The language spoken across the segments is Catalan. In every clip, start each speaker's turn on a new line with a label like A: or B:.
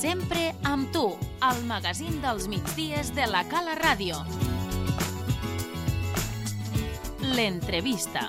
A: Sempre amb tu, al magazín dels migdies de la Cala Ràdio. L'entrevista.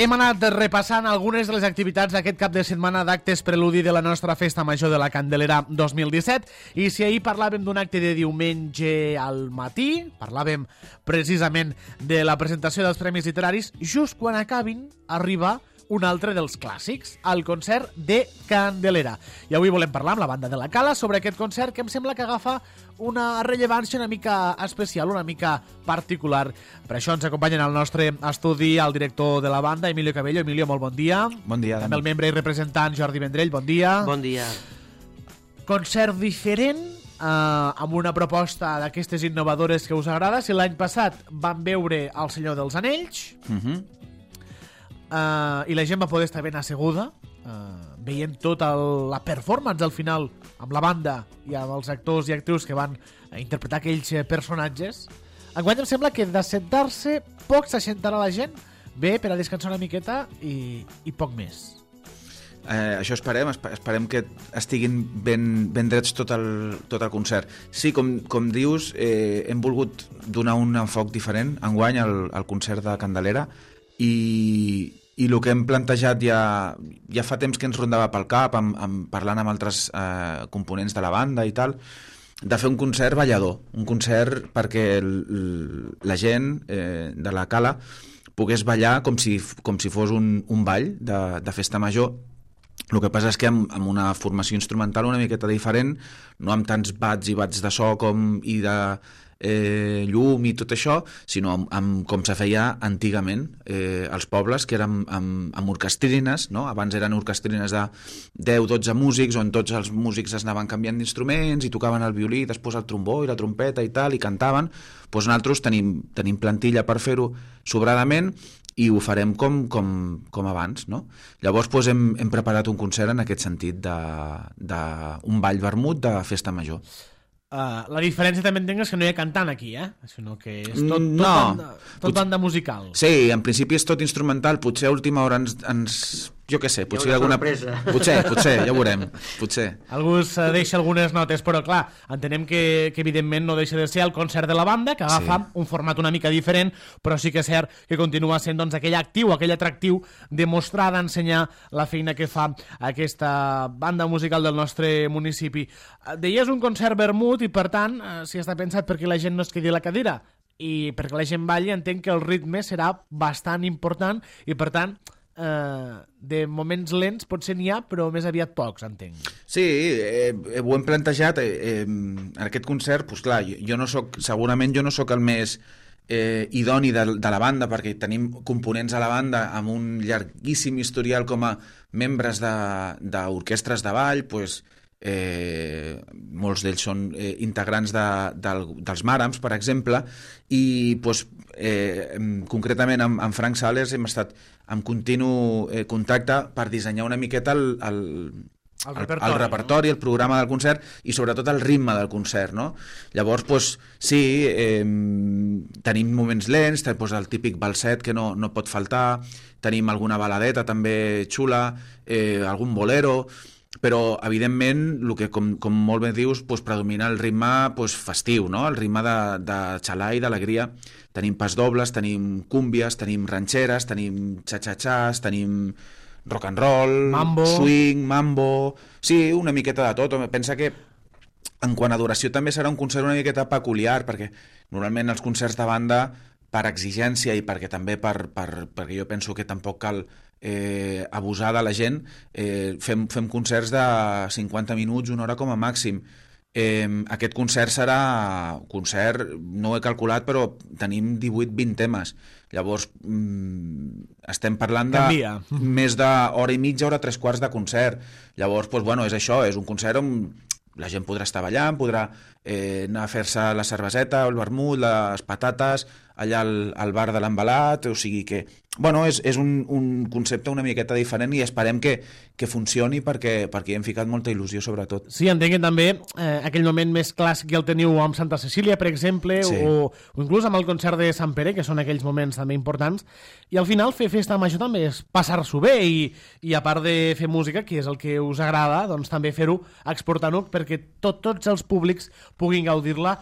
B: Hem anat repassant algunes de les activitats d'aquest cap de setmana d'actes preludi de la nostra Festa Major de la Candelera 2017 i si ahir parlàvem d'un acte de diumenge al matí, parlàvem precisament de la presentació dels Premis Literaris, just quan acabin arriba un altre dels clàssics, el concert de Candelera. I avui volem parlar amb la banda de la Cala sobre aquest concert que em sembla que agafa una rellevància una mica especial, una mica particular. Per això ens acompanyen al nostre estudi el director de la banda, Emilio Cabello. Emilio, molt bon dia.
C: Bon dia.
B: També el membre i representant Jordi Vendrell, bon dia.
D: Bon dia.
B: Concert diferent, amb una proposta d'aquestes innovadores que us agrada. Si l'any passat vam veure El Senyor dels Anells, i la gent va poder estar ben asseguda, veient tota la performance al final amb la banda i amb els actors i actrius que van interpretar aquells personatges. Enguany em sembla que d'assentar-se poc s'assentarà la gent, bé per a descansar una miqueta i poc més.
C: Això esperem que estiguin ben drets tot el concert. Sí, com dius, hem volgut donar un enfoc diferent enguany al concert de Candelera i el que hem plantejat ja fa temps que ens rondava pel cap, parlant amb altres components de la banda i tal, de fer un concert ballador, un concert perquè la gent de la Cala pogués ballar com si fos un ball de festa major. El que passa és que amb una formació instrumental una miqueta diferent, no amb tants bats i bats de so i de llum i tot això, sinó amb com se feia antigament als pobles, que eren amb orquestrines, no? Abans eren orquestrines de 10-12 músics, on tots els músics es anaven canviant d'instruments i tocaven el violí, després el trombó i la trompeta i tal, i cantaven. Doncs nosaltres tenim plantilla per fer-ho sobradament i ho farem com abans, no? Llavors hem preparat un concert en aquest sentit d'un ball vermut de festa major.
B: La diferència també entenc és que no hi ha cantant aquí, sinó que és tot banda musical.
C: Sí, en principi és tot instrumental, potser a última hora jo què sé, potser alguna sorpresa. Potser, ja ho veurem, potser.
B: Algú deixa algunes notes, però clar, entenem que evidentment no deixa de ser el concert de la banda, que agafa un format una mica diferent, però sí que és cert que continua sent aquell actiu, aquell atractiu de mostrar, d'ensenyar la feina que fa aquesta banda musical del nostre municipi. Deies un concert vermut i per tant, si està pensat perquè la gent no es quedi a la cadira i perquè la gent balli, entenc que el ritme serà bastant important i per tant de moments lents potser n'hi ha, però més aviat pocs, entenc.
C: Sí, ho hem plantejat en aquest concert, doncs clar, segurament jo no soc el més idoni de la banda, perquè tenim components a la banda amb un llarguíssim historial com a membres d'orquestres de ball, doncs molts d'ells són integrants dels Màrams, per exemple, i concretament amb Frank Sales hem estat en continu contacte per dissenyar una miqueta el repertori, el programa del concert i sobretot el ritme del concert, no? Llavors, sí, tenim moments lents, el típic balset que no pot faltar, tenim alguna baladeta també xula, algun bolero, però evidentment el que com molt bé dius predomina el ritme festiu, no? El ritme de xalà i d'alegria. Tenim pasdobles, tenim cúmbies, tenim ranxeres, tenim xa-xa-xas, tenim rock and roll,
B: mambo.
C: Swing, mambo. Sí, una miqueta de tot. Pensa que en quant a duració també serà un concert una miqueta peculiar, perquè normalment els concerts de banda, per exigència i perquè també perquè jo penso que tampoc cal abusar de la gent, fem concerts de 50 minuts, una hora com a màxim. Aquest concert serà no ho he calculat, però tenim 18-20 temes. Llavors estem parlant de més d'hora i mitja, hora 3/4 de concert. Llavors, és això, és un concert on la gent podrà estar ballant, podrà anar a fer-se la cerveseta, el vermut, les patates, allà al bar de l'Envelat, o sigui que... Bueno, és un concepte una miqueta diferent i esperem que funcioni perquè hi hem ficat molta il·lusió, sobretot.
B: Sí, entenc que també aquell moment més clàssic que el teniu amb Santa Cecília, per exemple, sí. o inclús amb el concert de Sant Pere, que són aquells moments també importants, i al final fer festa major també és passar-s'ho bé i a part de fer música, que és el que us agrada, doncs també fer-ho exportant-ho perquè tots els públics puguin gaudir-la,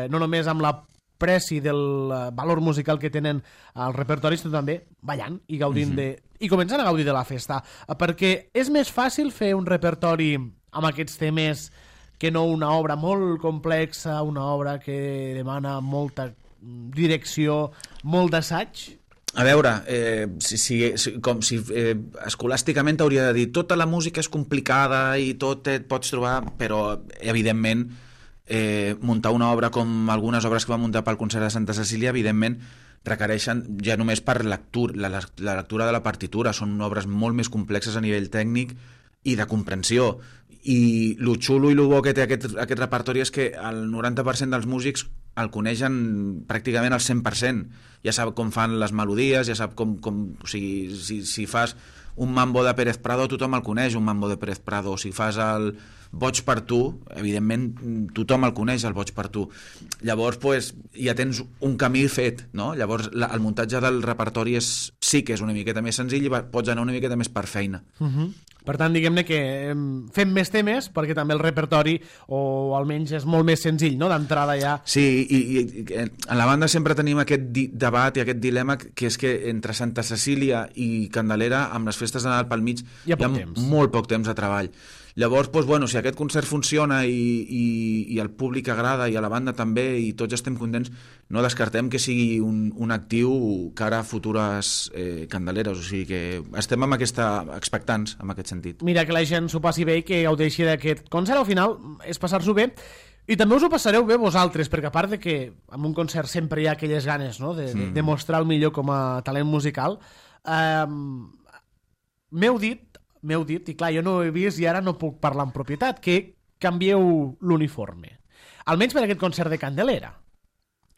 B: no només amb la preci del valor musical que tenen els repertoris, sinó també ballant i gaudint i començant a gaudir de la festa, perquè és més fàcil fer un repertori amb aquests temes que no una obra molt complexa, una obra que demana molta direcció, molt d'assaig.
C: A veure, com si escolàsticament t'hauria de dir tota la música és complicada i tot et pots trobar, però evidentment muntar una obra com algunes obres que va muntar pel concert de Santa Cecília, evidentment requereixen ja només per la lectura de la partitura, són obres molt més complexes a nivell tècnic i de comprensió, i lo xulo i lo bo que té aquest repertori és que el 90% dels músics el coneixen pràcticament al 100%, ja sap com fan les melodies, ja sap com o sigui, si fas un mambo de Pérez Prado tothom el coneix, un mambo de Pérez Prado, o si fas el Boig per tu, evidentment tothom el coneix, el Boig per tu. Llavors pues, ja tens un camí fet, no? Llavors el muntatge del repertori sí que és una miqueta més senzill i pots anar una miqueta més per feina.
B: Per tant, diguem-ne que fem més temes perquè també el repertori, o almenys és molt més senzill, no?, d'entrada ja.
C: Sí, i en la banda sempre tenim aquest debat i aquest dilema, que és que entre Santa Cecília i Candelera, amb les festes de Nadal pel mig, hi ha molt poc temps de treball. Llavors, doncs, bueno, si aquest concert funciona i el públic agrada i a la banda també i tots estem contents, no descartem que sigui un actiu cara a futures Candeleres, o sigui que estem expectants en aquest sentit.
B: Mira, que la gent s'ho passi bé i que gaudeixi d'aquest concert, al final és passar-s'ho bé. I també us ho passareu bé vosaltres, perquè a part de que en un concert sempre hi ha aquelles ganes, no?, de mostrar el millor com a talent musical, m'heu dit, i clar, jo no ho he vist i ara no puc parlar en propietat, que canvieu l'uniforme. Almenys per aquest concert de Candelera.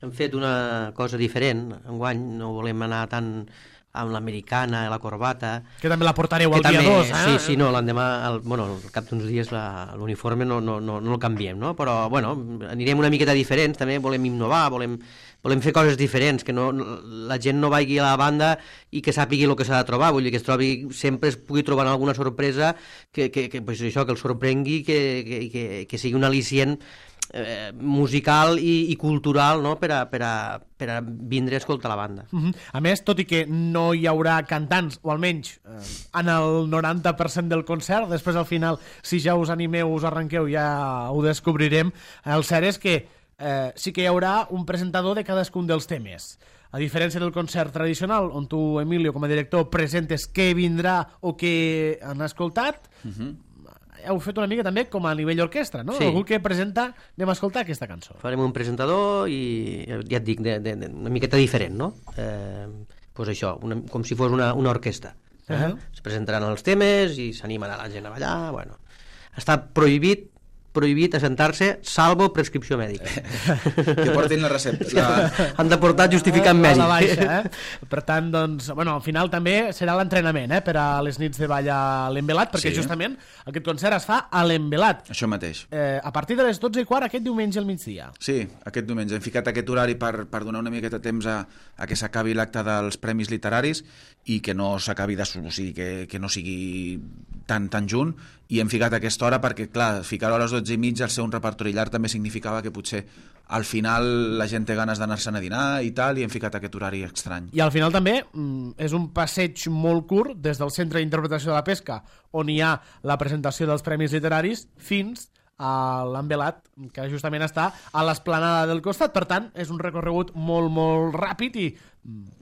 D: Hem fet una cosa diferent. Enguany no volem anar tant amb l'americana, la corbata...
B: Que també la portareu el dia 2, eh?
D: Sí, no, l'endemà, al cap d'uns dies l'uniforme no el canviem, no? Però, bueno, anirem una miqueta diferents, també volem innovar, volem fer coses diferents, que la gent no vagi a la banda i que sàpigui el que s'ha de trobar, vull dir que sempre es pugui trobar alguna sorpresa que el sorprengui, que sigui un al·licient musical i cultural, no?, per a vindre a escoltar la banda.
B: A més, tot i que no hi haurà cantants, o almenys en el 90% del concert, després al final, si ja us animeu, us arrenqueu, ja ho descobrirem, el cert és que sí que hi haurà un presentador de cadascun dels temes. A diferència del concert tradicional, on tu, Emilio, com a director, presentes què vindrà o què han escoltat, heu fet una mica també com a nivell orquestra, no? Sí. Algú que presenta, anem a escoltar aquesta cançó.
D: Farem un presentador i, ja et dic, una miqueta diferent, no? Pues això, com si fos una orquestra. Es presentaran els temes i s'animen a la gent a ballar, bueno. Està prohibit assentar-se, salvo prescripció mèdica.
C: Que portin la recepta.
D: Han de portar justificant mèdic.
B: A la baixa, Per tant, doncs, bueno, al final també serà l'entrenament, per a les nits de ball a l'Envelat, perquè justament aquest concert es fa a l'Envelat.
C: Això mateix.
B: A partir de les 12:15 aquest diumenge al migdia.
C: Sí, aquest diumenge. Hem ficat aquest horari per donar una miqueta de temps a que s'acabi l'acte dels Premis Literaris i que no s'acabi o sigui, que no sigui tan junt, i hem ficat aquesta hora perquè, clar, ficar-ho a les 12:30 al ser un repertori llarg també significava que potser al final la gent té ganes d'anar-se'n a dinar i tal, i hem ficat aquest horari estrany.
B: I al final també és un passeig molt curt des del Centre d'Interpretació de la Pesca, on hi ha la presentació dels Premis Literaris, fins a l'Envelat, que justament està a l'esplanada del costat. Per tant, és un recorregut molt, molt ràpid i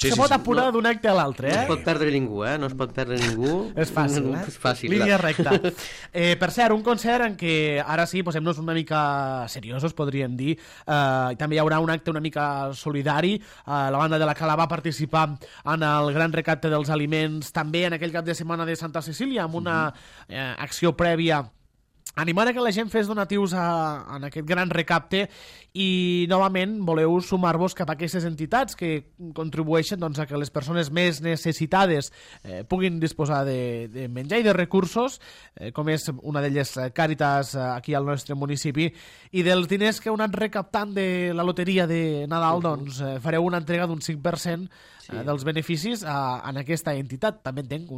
B: se pot apurar d'un acte a l'altre.
D: No es pot perdre ningú, no es pot perdre ningú.
B: És fàcil,
D: És fàcil.
B: Línia recta. Per cert, un concert en què ara sí, posem-nos una mica seriosos, podríem dir. També hi haurà un acte una mica solidari. La banda de la Cala va participar en el gran recapte dels aliments també en aquell cap de setmana de Santa Cecília, amb una acció prèvia animar a que la gent fes donatius en aquest gran recapte i novament voleu sumar-vos cap a aquestes entitats que contribueixen doncs, a que les persones més necessitades puguin disposar de menjar i de recursos, com és una d'elles Càritas aquí al nostre municipi, i dels diners que heu anat recaptant de la loteria de Nadal, doncs fareu una entrega d'un 5% dels beneficis en aquesta entitat. També entenc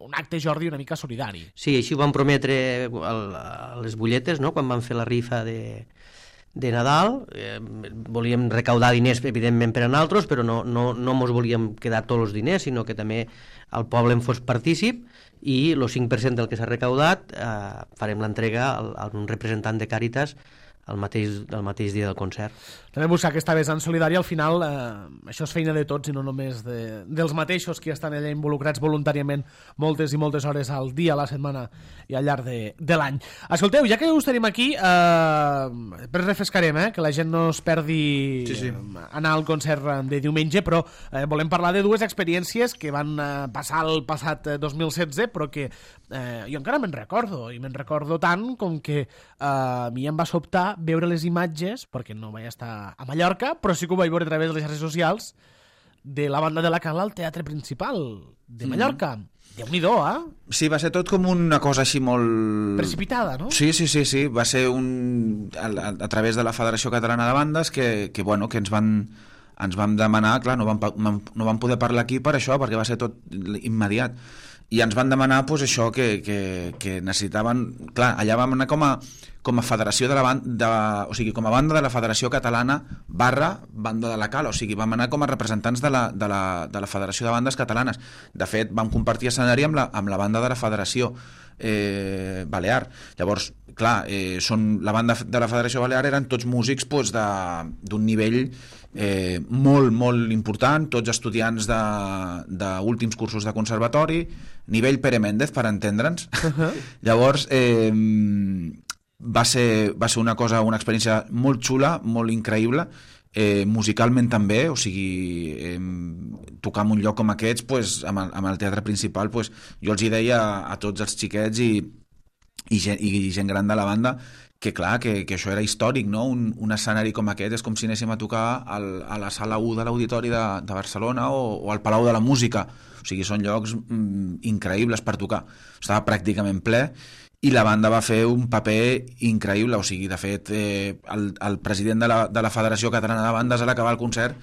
B: un acte, Jordi, una mica solidari.
D: Sí, així ho vam prometre a les butlletes, no?, quan vam fer la rifa de Nadal. Volíem recaudar diners, evidentment, per a nosaltres, però no mos volíem quedar tots els diners, sinó que també el poble en fos partícip, i el 5% del que s'ha recaudat farem l'entrega a un representant de Càritas el mateix dia del concert.
B: També buscar aquesta vessant solidària, al final això és feina de tots i no només dels mateixos que estan allà involucrats voluntàriament moltes i moltes hores al dia, a la setmana i al llarg de l'any. Escolteu, ja que us tenim aquí, després refrescarem, que la gent no es perdi anar al concert de diumenge, però volem parlar de dues experiències que van passar el passat 2016, però que jo encara me'n recordo tant com que a mi em va sobtar veure les imatges, perquè no vaig estar a Mallorca, però sí que ho vaig veure a través de les xarxes socials, de la banda de la Cala al Teatre Principal de Mallorca. Déu-n'hi-do,
C: Sí, va ser tot com una cosa així molt...
B: precipitada, no?
C: Sí. Va ser a través de la Federació Catalana de Bandes que ens van demanar, clar, no vam poder parlar aquí per això, perquè va ser tot immediat. I ens van demanar això, que necessitaven... Clar, allà vam anar com a federació de la banda, o sigui, com a banda de la Federació Catalana / banda de la Cala, o sigui, vam anar com a representants de la Federació de Bandes Catalanes. De fet, vam compartir escenari amb la banda de la Federació Balear. Llavors, clar, la banda de la Federació Balear eren tots músics d'un nivell molt, molt important, tots estudiants d'últims cursos de conservatori, nivell Pere Méndez, per entendre'ns. Llavors, va ser una experiència molt xula, molt increïble, musicalment també, o sigui, tocar en un lloc com aquests, amb el Teatre Principal, jo els hi deia a tots els xiquets i gent gran de la banda que clar, que això era històric, no? Un escenari com aquest és com si anéssim a tocar a la sala 1 de l'Auditori de Barcelona o al Palau de la Música. O sigui, són llocs increïbles per tocar. Estava pràcticament ple i la banda va fer un paper increïble. O sigui, de fet, el president de la Federació Catalana de Bandes, a l'acabar el concert,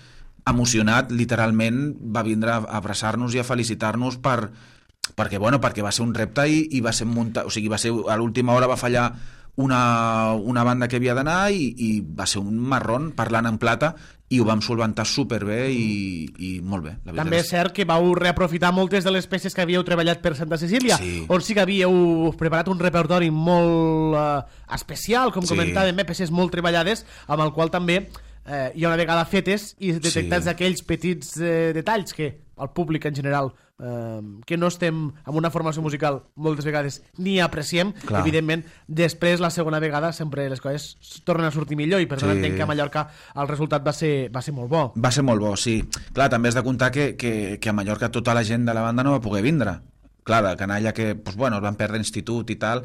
C: emocionat, literalment, va vindre a abraçar-nos i a felicitar-nos perquè va ser un repte i va ser muntat, o sigui, a l'última hora va fallar una banda que havia d'anar i va ser un marrón parlant en plata i ho vam solventar superbé i molt bé.
B: També és cert que vau reaprofitar moltes de les peces que havíeu treballat per Santa Cecília, on sí que havíeu preparat un repertori molt especial, com comentàvem, peces molt treballades, amb el qual també hi ha una vegada fetes i detectats aquells petits detalls que el públic en general que no estem en una formació musical moltes vegades ni apreciem, evidentment després la segona vegada sempre les coses tornen a sortir millor i per tant entenc que a Mallorca el resultat va ser molt bo.
C: Va ser molt bo, sí. Clar, també has de comptar que a Mallorca tota la gent de la banda no va poder vindre. Clar, de canalla que es van perdre institut i tal,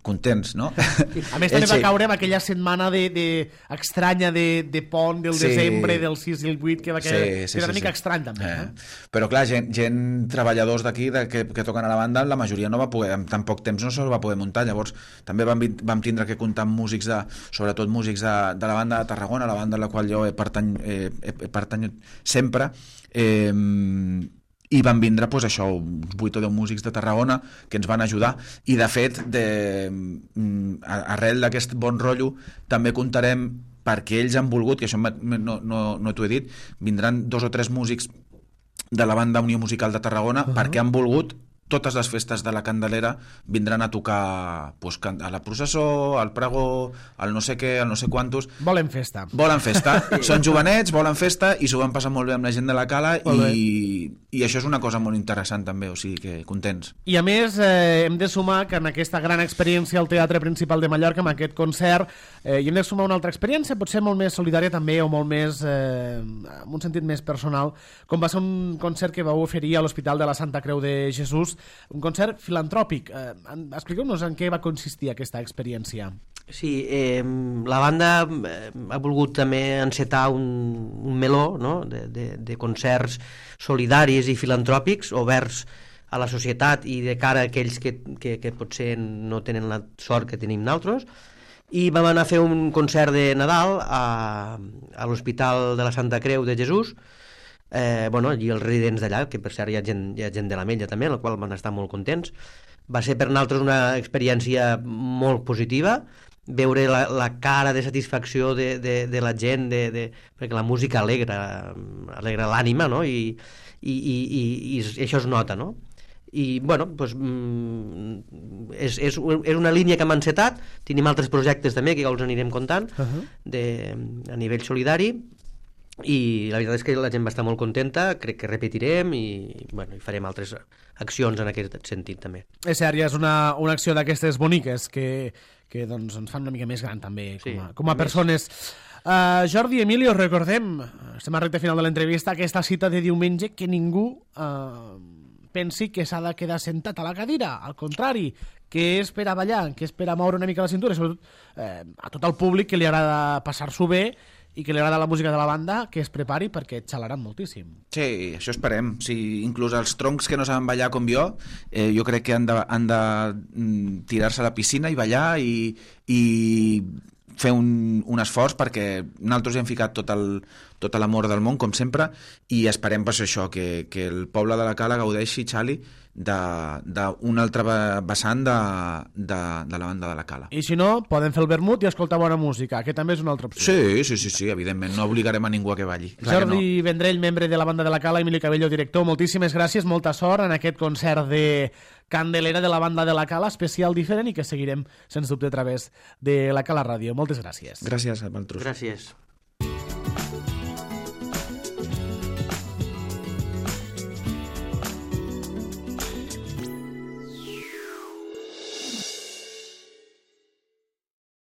C: contents, no?
B: A més també va caure en aquella setmana estranya de pont del desembre del 6 i el 8 que va quedar una mica estrany també.
C: Però clar, gent treballadors d'aquí que toquen a la banda, la majoria no va poder, en tan poc temps no se'ls va poder muntar. Llavors també vam tindre que comptar amb músics sobretot músics de la banda de Tarragona, la banda a la qual jo he pertanyut sempre, i van vindre això, uns 8 o 10 músics de Tarragona que ens van ajudar i de fet arrel d'aquest bon rotllo també comptarem, perquè ells han volgut, que això no t'ho he dit, vindran 2 o 3 músics de la banda Unió Musical de Tarragona perquè han volgut totes les festes de la Candelera vindran a tocar a la processó, al pregó, al no sé què, al no sé quantos.
B: Volen festa.
C: Són jovenets, volen festa i s'ho van passar molt bé amb la gent de la Cala i això és una cosa molt interessant també, o sigui que contents.
B: I a més hem de sumar que en aquesta gran experiència al Teatre Principal de Mallorca, amb aquest concert, hi hem de sumar una altra experiència, potser molt més solidària també o molt més, amb un sentit més personal, com va ser un concert que vau oferir a l'Hospital de la Santa Creu de Jesús un concert filantròpic. Expliqueu-nos en què va consistir aquesta experiència.
D: Sí, la banda ha volgut també encetar un meló, no?, de concerts solidaris i filantròpics oberts a la societat i de cara a aquells que potser no tenen la sort que tenim nosaltres, i vam anar a fer un concert de Nadal a l'Hospital de la Santa Creu de Jesús, i els residents d'allà, que per cert hi ha gent de l'Ametlla també, en la qual van estar molt contents. Va ser per nosaltres una experiència molt positiva, veure la cara de satisfacció de la gent, perquè la música alegra l'ànima, no?, i això es nota, no? I, és una línia que hem encetat, tenim altres projectes també que ja els anirem contant a nivell solidari, i la veritat és que la gent va estar molt contenta, crec que repetirem i farem altres accions en aquest sentit també.
B: És cert, ja és una acció d'aquestes boniques que ens fan una mica més gran també com a persones. Jordi, Emilio, recordem, estem a recte final de l'entrevista, aquesta cita de diumenge, que ningú pensi que s'ha de quedar sentat a la cadira, al contrari, que és per a ballar, que és per a moure una mica la cintura, sobretot a tot el públic que li agrada passar-s'ho bé i que li agrada la música de la banda, que es prepari perquè xalaran moltíssim.
C: Sí, això esperem. Sí, inclús els troncs que no saben ballar com jo crec que han de tirar-se a la piscina i ballar i fer un esforç, perquè nosaltres hi hem ficat tot l'amor del món, com sempre, i esperem per això, que el poble de la Cala gaudeixi, Xali, d'un altre vessant de la banda de la Cala.
B: I si no, poden fer el vermut i escoltar bona música, que també és una altra opció.
C: Sí, evidentment, no obligarem a ningú a que balli.
B: Jordi Vendrell, membre de la banda de la Cala, Emilio Cabello, director, moltíssimes gràcies, molta sort en aquest concert de Candelera de la banda de la Cala, especial diferent, i que seguirem, sens dubte, a través de la Cala Ràdio. Moltes gràcies.
C: Gràcies a vosaltres.
D: Gràcies.